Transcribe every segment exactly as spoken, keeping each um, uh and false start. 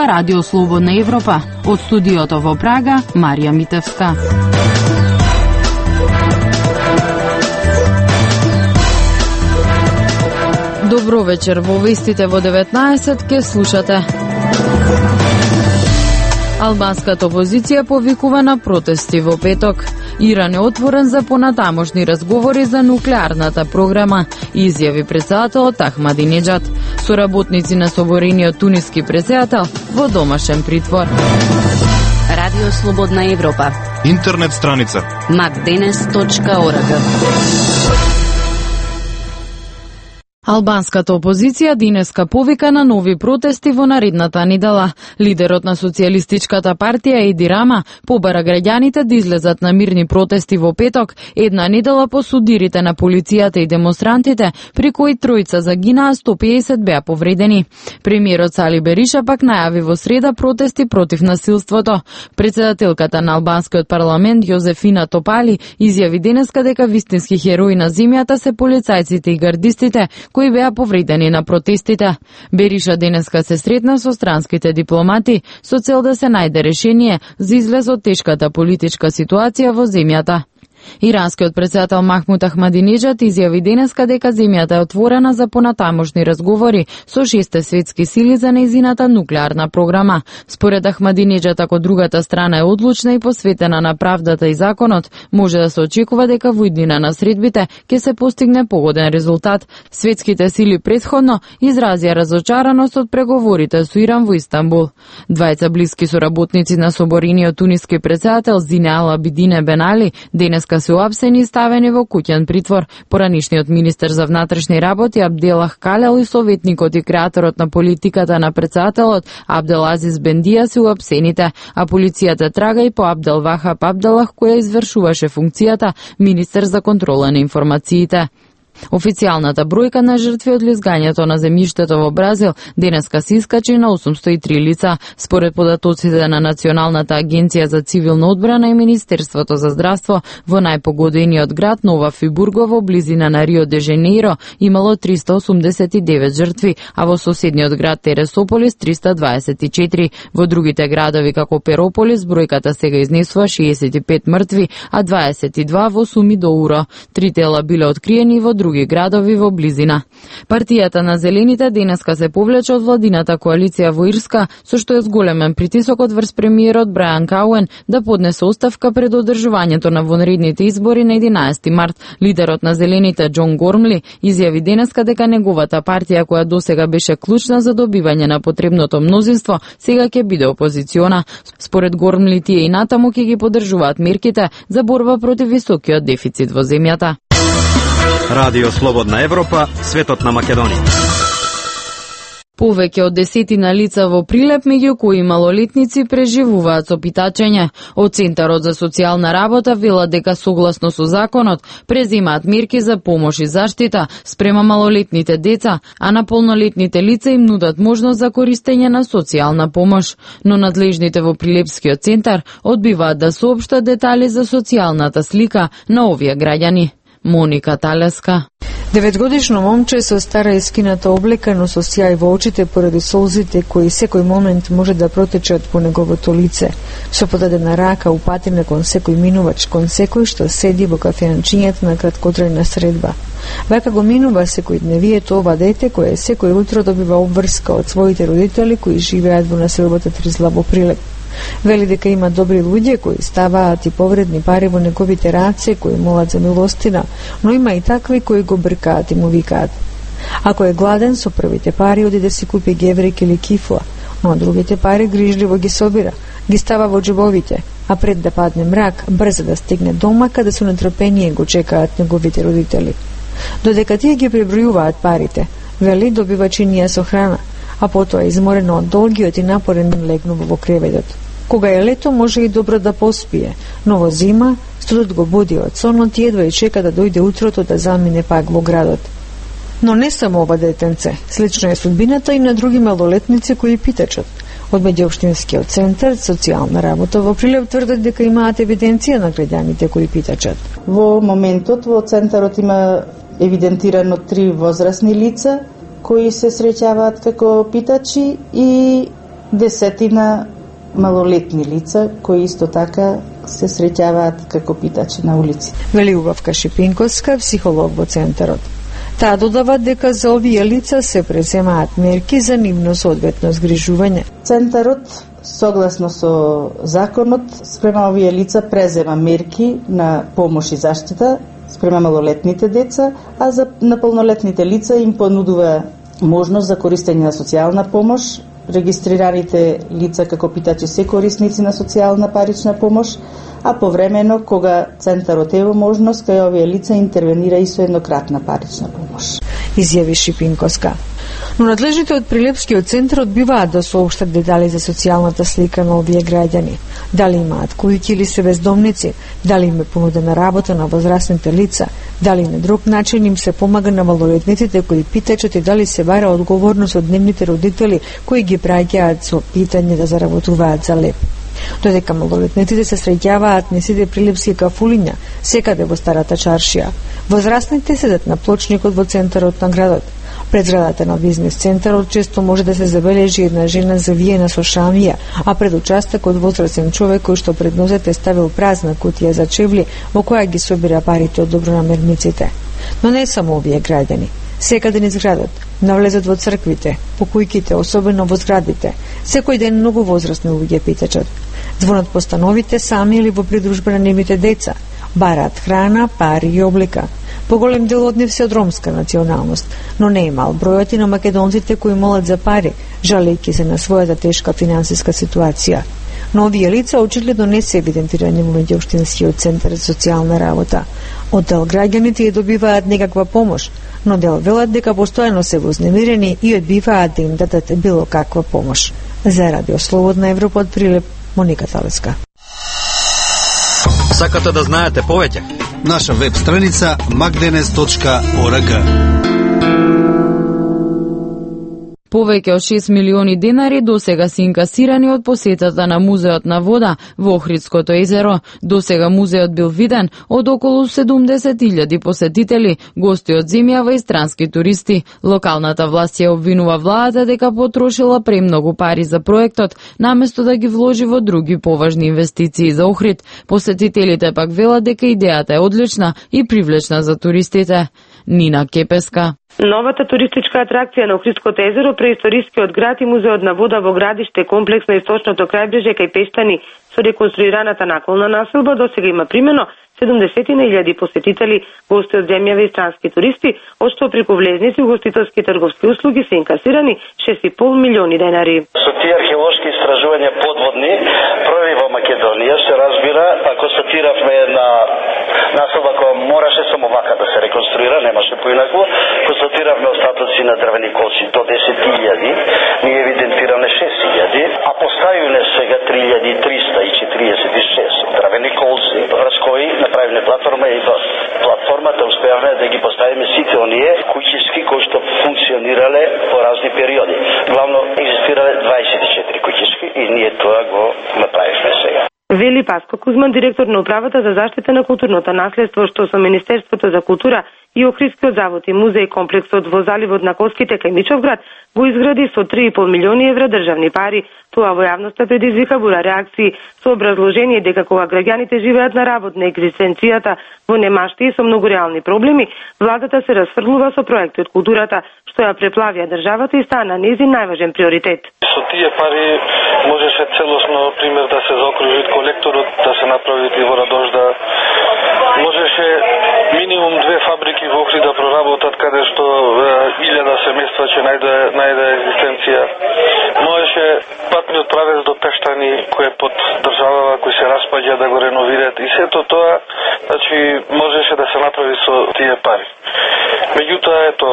зборува Радио Слободна Европа. Од студиото во Прага, Марија Митевска. Добро вечер, во вестите во деветнаесет ке слушате. Албанската опозиција повикува на протести во петок. Иран е отворен за понатамошни разговори за нуклеарната програма, изјави претседателот Ахмадинеджад. Соработници на соборениот туниски претседател во домашен притвор. Радио Слободна Европа. Интернет страница макденес точка орг. Албанската опозиција денеска повика на нови протести во наредната недела. Лидерот на Социјалистичката партија Еди Рама побара граѓаните да излезат на мирни протести во петок, една недела по судирите на полицијата и демонстрантите, при кои тројца загинаа, сто педесет беа повредени. Премиерот Сали Бериша пак најави во среда протести против насилството. Претседателката на албанскиот парламент Јозефина Топали изјави денеска дека вистински херои на земјата се полицајците и гардистите кои беа повредени на протестите. Бериша денеска се сретна со странските дипломати со цел да се најде решение за излез од тешката политичка ситуација во земјата. Иранскиот претседател Махмуд Ахмадинеджад изјави денеска дека земјата е отворена за понатамошни разговори со шесте светски сили за нејзината нуклеарна програма. Според Ахмадинеджад, ако другата страна е одлучна и посветена на правдата и законот, може да се очекува дека во иднина на средбите ќе се постигне погоден резултат. Светските сили претходно изразија разочараност од преговорите со Иран во Истанбул. Двајца блиски соработници на соборениот туниски претседател Зине Ал Абидине Бен Али денеска се уапсени и ставени во куќен притвор. Поранишниот министер за внатрешни работи Абделах Калел и советникот и креаторот на политиката на претседателот Абдел Азиз Бендија се уапсените, а полицијата трага и по Абдел Вахаб Абделах, која извршуваше функцијата министер за контрола на информациите. Официјалната бројка на жртви од лизгањето на земјиштето во Бразил денеска се искачи на осумсто и три лица. Според податоците на Националната агенција за цивилна одбрана и Министерството за здравство, во најпогодениот град Нова Фибурго во близина на Рио де Женеиро имало триста осумдесет и девет жртви, а во соседниот град Тересополис триста дваесет и четири. Во другите градови како Перополис бројката сега изнесува шеесет и пет мртви, а дваесет и два во Сумидоуро. Три тела биле откриени во други градови во близина. Партијата на Зелените денеска се повлече од владината коалиција во Ирска, со што е зголемен притисокот врз премиерот Брајан Кауен да поднесе оставка пред одржувањето на вонредните избори на единаесети март. Лидерот на Зелените Џон Гормли изјави денеска дека неговата партија, која досега беше клучна за добивање на потребното мнозинство, сега ќе биде опозициона. Според Гормли, тие и натаму ќе ги поддржуваат мерките за борба против високиот дефицит во земјата. Радио Слободна Европа, светот на Македонија. Повеќе од десетина лица во Прилеп, меѓу кои малолетници, преживуваат со питачење. Од Центарот за социјална работа велат дека согласно со законот преземаат мерки за помош и заштита спрема малолетните деца, а на полнолетните лица им нудат можност за користење на социјална помош. Но надлежните во Прилепскиот центар одбиваат да соопштат детали за социјалната слика на овие граѓани. Моника Талеска. Деветгодишно момче со стара ескината облека, но со сјај во очите поради солзите кои секој момент може да протечат по неговото лице, со подадена рака упатена кон секој минувач, кон секој што седи во кафеанчињето на краткотрајна средба. Вака го минува секој дневието ова дете кое секој утро добива обврска од своите родители кои живеат во населбата Тризлав во Прилеп. Вели дека има добри луѓе кои ставаат и повредни пари во неговите раце, кои молат за милостина, но има и такви кои го бркаат и му викаат. Ако е гладен, со првите пари оди да си купи геврек или кифла, но другите пари грижливо ги собира, ги става во џебовите, а пред да падне мрак, брзо да стигне дома каде со нетрпение го чекаат неговите родители. Додека тие ги пребројуваат парите, вели добива чинија со храна, а потоа изморено од долгиот и напорен ден легнува во креветот. Кога е лето може и добро да поспие, но во зима студот го буди од сонот и едва и чека да дојде утрото да замине пак во градот. Но не само ова детенце, слична е судбината и на други малолетници кои питачат. Од меѓуопштинскиот центар социјална работа во Прилеп тврдат дека имаат евиденција на граѓаните кои питачат. Во моментот во центарот има евидентирано три возрастни лица кои се среќаваат како питачи и десетина малолетни лица кои исто така се среќаваат како питачи на улици. Вели Убавка Шипинковска, психолог во центарот. Таа додава дека за овие лица се преземаат мерки за нивно соодветно згрижување. Центарот, согласно со законот, спрема овие лица презема мерки на помош и заштита спрема малолетните деца, а за наполнолетните лица им понудува можност за користење на социјална помош. Регистрираните лица како питачи се корисници на социјална парична помош, а повремено кога центарот е во можност, кај овие лица интервенира и со еднократна парична помош. Изјави Шипинковска. Но надлежните од Прилепскиот центар одбиваат да соопштат детали за социјалната слика на овие граѓани. Дали имаат куќи или се бездомници, дали им е понудена работа на возрастните лица, дали на друг начин им се помага на малолетниците кои питачат и дали се бара одговорност од нивните родители кои ги праќаат со питање да заработуваат за леп. Додека малолетниците се среќаваат не сите прилепски кафулиња, секаде во старата чаршија. Возрастните седат на плочникот во центарот на градот. Пред зградата на бизнес центарот често може да се забележи една жена завиена со шамија, а пред участокот возрастен човек кој што пред нозете ставил празна кутија за чевли во која ги собира парите од добронамерниците. Но не само овие граѓани. Секаде низ градот, навлезот во црквите, по кујките, особено во зградите, секој ден многу возрастни луѓе питачат. Звонат по становите сами или во придружба на нивните деца, бараат храна, пари и облека. Поголем дел од нив се од ромска националност, но не е мал бројот и на македонците кои молат за пари, жалејќи се на својата тешка финансиска ситуација. Но овие лица очигледно не се евидентирани во меѓуопштинскиот центар за социјална работа. Од дел граѓаните ја добиваат некаква помош, но дел велат дека постојано се вознемирени и одбиваат да им дадат било каква помош. За Радио Слободна Европа од Прилеп, Моника Талеска. Сакате да знаете повеќе? Наша веб страница magdenes точка org. Повеќе од шест милиони денари досега се инкасирани од посетата на Музеот на вода во Охридското езеро. Досега музеот бил виден од околу седумдесет илјади посетители, гости од земјава и странски туристи. Локалната власт ја обвинува владата дека потрошила премногу пари за проектот, наместо да ги вложи во други поважни инвестиции за Охрид. Посетителите пак велат дека идејата е одлична и привлечна за туристите. Нина Кепеска. Новата туристичка атракција на Охридското езеро, преисторискиот град и музеот на вода во градиште комплекс на источното крајбрежје кај Пештани со реконструираната наколна населба досега има примено седумдесет илјади посетители, гости од земјава и странски туристи, од што преку влезници, угостителски трговски услуги се инкасирани шест и пол милиони денари. Со тие археолошки истражувања подводни, први во Македонија се разбира, а констатиравме една населба која мораше само вака да се реконструира, немаше поинаку, констатиравме остатоци на дрвени колци до десет илјади, ние евидентираме шест илјади, а поставиле сега три илјади триста и четириесет и шест дрвени колци, врз кои направиле платформа и во платформата успеавме да ги поставиме сите оние куќишки кои што функционирале по разни периоди. Главно екзистирале дваесет и четири куќишки и ние тоа го направивме сега. Вели Паско Кузман, директор на управата за заштита на културното наследство, што со Министерството за култура и Охридскиот завод и музеј комплексот во заливот на Коските кај Мичовград го изгради со три и пол милиони евра државни пари. Тоа во јавноста предизвика бура реакции со образложение дека кога граѓаните живеат на работ на екзистенцијата во немашти и со многу реални проблеми, владата се расфрлува со проекти од културата, што ја преплавија државата и стана нејзин најважен приоритет. Со тие пари можеше целосно, пример, да се заокружи колекторот, да се направи и вододожда. Можеше минимум две фабрики во Охрид да проработат, каде што илјада семејства ќе најде, најде екзистенција. Можеше патниот правец до Пештани, кој е под државава, кој се распаѓа, да го реновираат. И сето тоа, значи, можеше да се направи со тие пари. Меѓутоа, ето,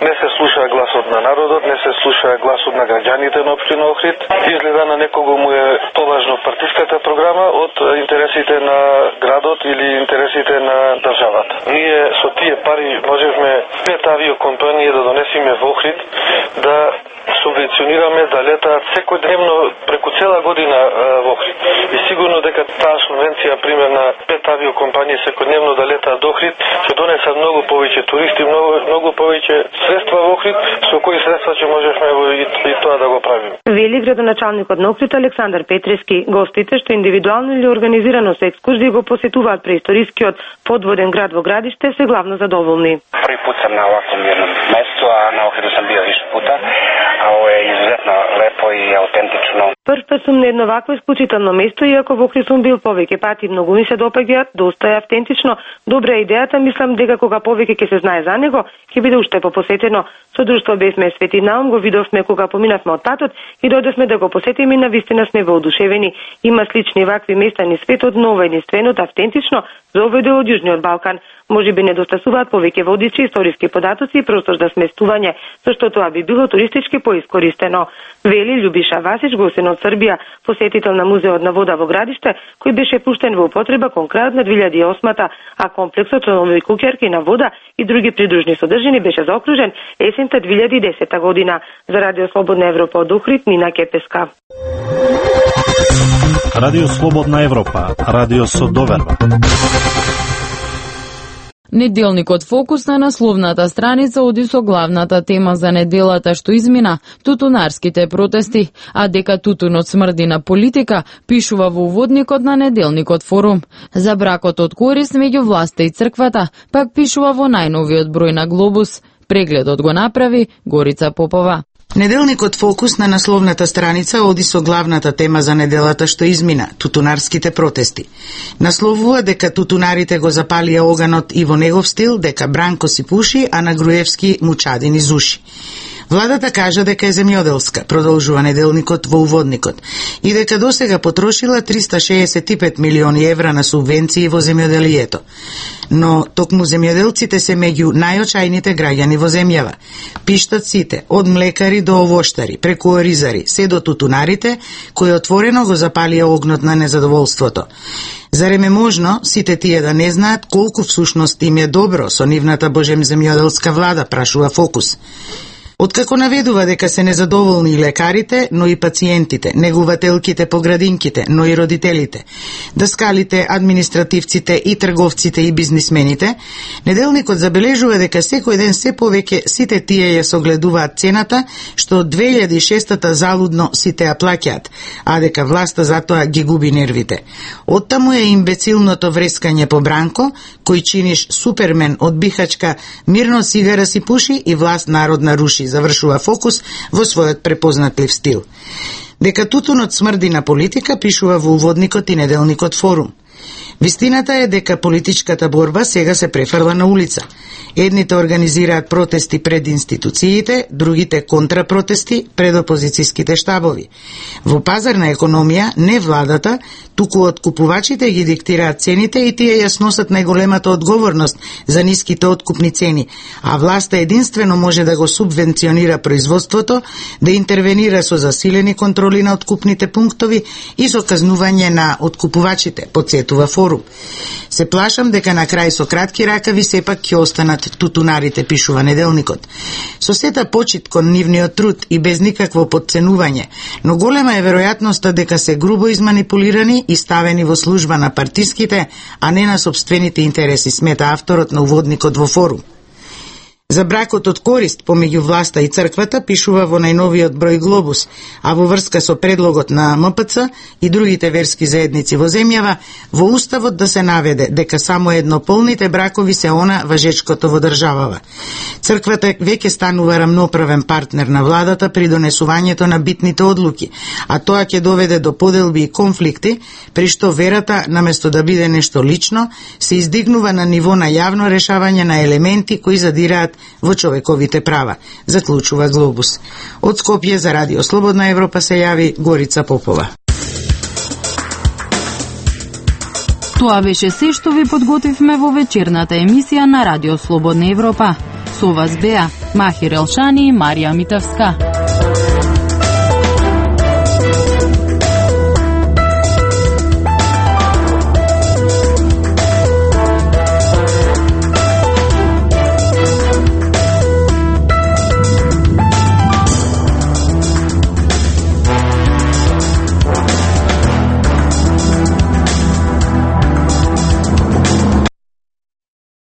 не се слуша гласот на народот, не се слуша гласот на граѓаните на општина Охрид. Изгледа на некого му е поважно партиската програма од интересите на градот или интересите на државата. Ние со тие пари можевме пет авиокомпании да донесеме во Охрид, да со субвенционираме да летаат секојдневно преку цела година во Охрид. И сигурно дека таа субвенција пример на пет авиокомпании секојдневно да летаат до Охрид ќе донесат многу повеќе туристи, многу многу повеќе средства во Охрид, со кои средства ќе можеме и, и тоа да го правиме. Вели градоначалникот на Охрид Александар Петрески. Гостите што индивидуално или организирано со екскурзии го посетуваат преисторискиот подводен град во Градиште се главно задоволни. Први пат сам на овакво мирно место, а на Охриду сам био више пута, а ово е изуzetно лепо и аутентично. Прв пат сум на едно вакво исклучително место, иако во Охрид сум бил повеќе пати, многу ми се допаѓа, доста е автентично, добра е идејата, мислам дека кога повеќе ќе се знае за него, ќе биде уште попосетено. Со друштво бевме Свети Наум, го видовме кога поминавме од татот и дојдовме да го посетиме и навистина сме воодушевени. Има слични вакви места низ светот, но ова единственото автентично за овој дел од Јужниот Балкан. Може би недостасуваат повеќе водичи, историски податоци и простор за сместување, зашто тоа би било туристички поискористено. Вели Љубиша Васич, гостин од Србија, посетител на Музеот на вода во Градиште, кој беше пуштен во употреба кон крајот на две илјади и осма, а комплексот со нови куќерки на вода и други придружни содржини беше заокружен есента две илјади и десета година. За Радио Слободна Европа од Охрид, Нина Кепеска. Радио Слободна Европа, радио со доверба. Неделникот Фокус на насловната страница оди со главната тема за неделата што измина – тутунарските протести, а дека тутунот смрди на политика, пишува во уводникот на неделникот Форум. За бракот од корист меѓу власта и црквата, пак пишува во најновиот број на Глобус. Прегледот го направи Горица Попова. Неделникот Фокус на насловната страница оди со главната тема за неделата што измина – тутунарските протести. Насловува дека тутунарите го запалија оганот и во негов стил, дека Бранко си пуши, а на Груевски му чади низ уши. Владата кажа дека е земјоделска, продолжува неделникот во уводникот, и дека досега потрошила триста шеесет и пет милиони евра на субвенции во земјоделието. Но токму земјоделците се меѓу најочајните граѓани во земјава. Пиштат сите, од млекари до овоштари, преку оризари, се до тутунарите, кои отворено го запалија огнот на незадоволството. Зарем е можно сите тие да не знаат колку всушност им е добро со нивната божем земјоделска влада, прашува Фокус. Откако наведува дека се незадоволни и лекарите, но и пациентите, негувателките по градинките, но и родителите, даскалите, административците и трговците и бизнисмените, неделникот забележува дека секој ден се повеќе сите тие ја согледуваат цената, што од две илјади и шеста залудно сите ја плаќаат, а дека власта затоа ги губи нервите. Оттаму е имбецилното врескање по Бранко, кој чиниш супермен од Бихачка, мирно сигара си пуши и власт народна руши, завршува Фокус во својот препознатлив стил. Дека тутунот смрди на политика, пишува во уводникот и неделникот Форум. Вистината е дека политичката борба сега се префрла на улица. Едните организираат протести пред институциите, другите контрапротести пред опозицијските штабови. Во пазарна економија не владата, туку откупувачите ги диктираат цените и тие ја сносат најголемата одговорност за ниските откупни цени, а власта единствено може да го субвенционира производството, да интервенира со засилени контроли на откупните пунктови и со казнување на откупувачите, подсетува Форум. Се плашам дека на крај со кратки ракави сепак ќе останат тутунарите, пишува неделникот. Со сета почит кон нивниот труд и без никакво подценување, но голема е веројатноста дека се грубо изманипулирани и ставени во служба на партиските, а не на собствените интереси, смета авторот на уводникот во Форум. За бракот од корист помеѓу власта и црквата пишува во најновиот број Глобус, а во врска со предлогот на М П Ц и другите верски заедници во земјава, во уставот да се наведе дека само еднополните бракови се она важечкото во државава. Црквата веќе станува рамноправен партнер на владата при донесувањето на битните одлуки, а тоа ќе доведе до поделби и конфликти, при што верата, наместо да биде нешто лично, се издигнува на ниво на јавно решавање на елементи кои задираат во човековите права, заклучува Глобус. Од Скопје за Радио Слободна Европа се јави Горица Попова. Тоа беше се што ви подготвивме во вечерната емисија на Радио Слободна Европа. Со вас беа Махир Елшани и Марија Митавска.